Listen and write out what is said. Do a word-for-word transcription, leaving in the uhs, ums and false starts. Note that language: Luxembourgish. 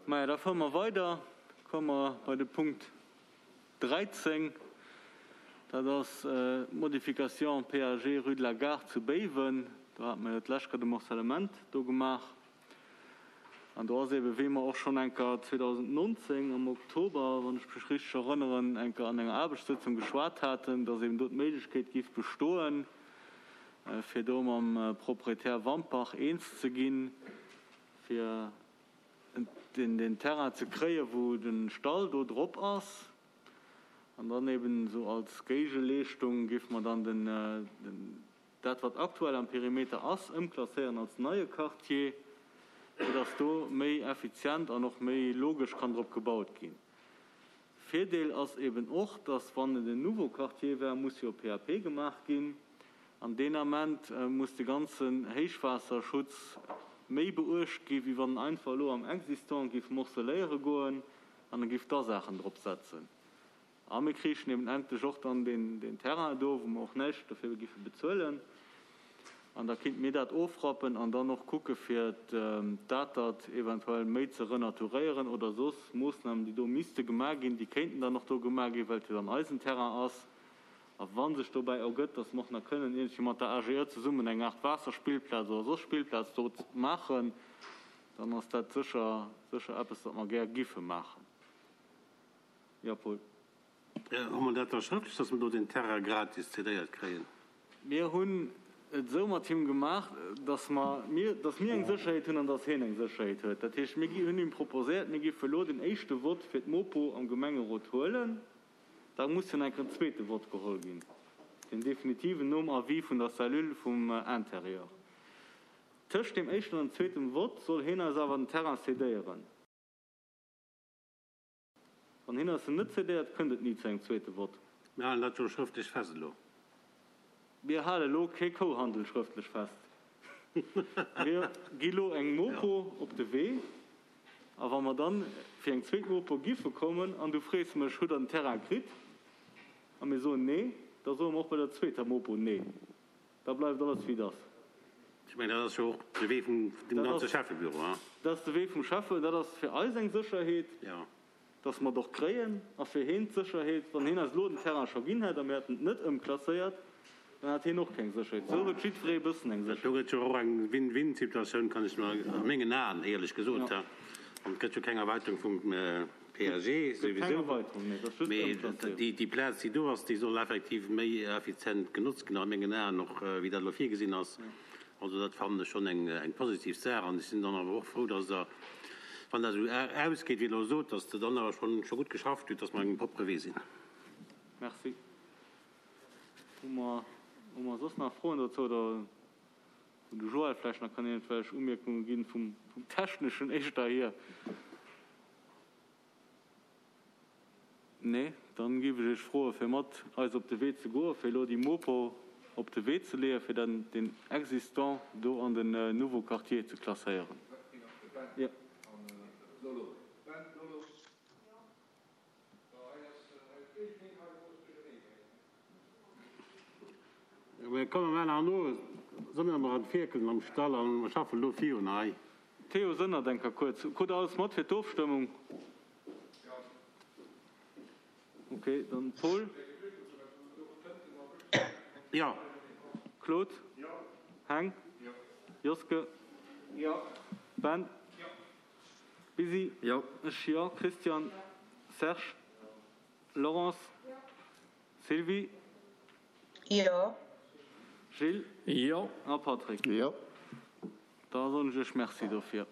Maja, da fuere mer weider, komme mer bei de Punkt dräizéng. Dat ass d'Modification P A G rue de la Gare zu Béiwen. Do hate mer jo d'lescht Kéier de Morcellement do gemaach. An do ass eebe, wéi mer och schonn eng Kéier zweedausendnonzéng am Oktober, wann ech mech richteg erënneren, eng Kéier an enger Aarbechtssëtzung geschwat haten, dass eeben do d'Méiglechkeet giff bestoen, fir do mam Proprietär Wampach eens ze ginn, fir den Terrain ze kréien, wou de Stall do drop ass. An dann eben esou als Géigeleeschtung géife mer dann den, dat wat aktuell am Perimeter ass, ëmklasséieren als neie Quartier, fir dass do méi effizient an och méi logesch kann drop gebaut ginn. Virdeel ass eben och, dass wann et en nouveau Quartier wär, muss jo P A P gemaach ginn. An deen Ament muss de ganzen Héichwaasserschutz méi beuecht gi wéi wann en einfach elo am Existant géif morceléiere goen an e géif da Saachen drop setzen. A mir kriichen eben endlech och dann deen, deen Terrain do, wou mer och näischt dofir giffe bezuelen. An da kinnte mir dat ofrappen an dann och kucke fir d'Atert eventuell méi ze renaturéieren oder soss Moossnamen, déi do misste gemaach ginn, déi kéinten dann och do gemaach ginn, well et jo dann eisen Terrain ass. A wa sech dobäi ergëtt, dass mer och nach kënnen iergendwéi mat der A G E zesummen eng Aart Waasserspillplaz oder soss Spillplaz do maachen, dann ass dat sécher, sécher eppes, wat mer gär giffe maachen. Jo, Paul. Hu mer dat da schrëftlech, dass mer do den Terrain gratis cédéiert kréien? Mir hunn et esou mat him gemaach, dass mer, mir, dass mir eng Sécherheet hunn an dass hien eng Sécherheet huet. Dat heescht, mir hunn him proposéiert, mir géife elo den éischte Vott fir d'Mopo am Gemengerot huelen. Da muss jo nach en zweete Vott geholl ginn, den definitiven nom Avis vun der Cellule vum Intérieur. Tëscht deem éischten an dem zweeten Vott soll hien eis awer den Terrain cédéieren. Wann hien eis en net cédéiert, kënnt et ni zu engem zweete Vott. Mir halen dat jo schrëftlech fest elo. Mir hale elo kee Kouhandel schrëftlech fest. Mir gi lo eng Mopo op de Wee a wa mer dann fir eng zweet Mopo giffe kommen an du frees mech, Hutt Der den Terrain kritt? A mir soen nee, da soe mer och bei der zweeter Mopo nee. Da bleift alles wéi et ass. Ech mengen, dat ass jo och de Wee vum dem ganze Schäffebüro, hein? Dat ass de Wee vum Schäffe. Dat ass fir eis eng Sécherheet, dass mer et och kréien, a fir heen d'Sécherheet, wann heen eis elo den Terrain scho ginn hätt a mir hätten et net ëmklasséiert, dann hätt heen och keng Sécherheet. Esou huet jiddweree e bëssen eng Do Sécherheet. gëtt jo och eng Win-win-Situatioun, kann ech mer a mengen Aen, éierlech gesot, hein. An et gëtt jo keng Erweiterung vum P A G Gëtt keng souwisou. Erweiterung, nee, et ass just Mee d'Ëmklasséierung. déi, déi Plaz, déi do ass, déi soll effektiv méi effizient genotzt ginn, a mengen Aen och, wéi dat elo virgesinn ass. Also dat fannen ech schonn eng, eng positiv Saach. An ech sinn dann awer och frou, dass Der, wann dat esou ausgeet, wéi Der elo sot, dass Der dann awer schonn, scho gutt geschafft hutt, dass mer engem propre Wee sinn. Merci. Hu mer, hu mer soss nach Froen dozou oder wou de Joël vläicht nach kann iergendwelch Umierkunge ginn vum, vum Techneschen éischter hier? Nee, dann géif ech Iech froe fir mat eis op de Wee ze goen, fir elo déi Mopo op de Wee ze leeën, fir dann den Existant do an den nouveau Quartier ze klasséieren. Jo. Mir komme mar nach no, solle mer an d'Fierkeln am Stall an mer schaffen elo virun hei. Theo Sënnert eng Kéier kuerz. Krut Der alles mat fir d'Ofstëmmung? Ok, dann Paul. Jo. Claude. Heng. Joske. Ben. Bisi. Ech jo. Christian. Serge. Laurence. Sylvie. Jo. Gilles. Jo. A Patrick. Jo. Da soen ech Iech Merci dofir.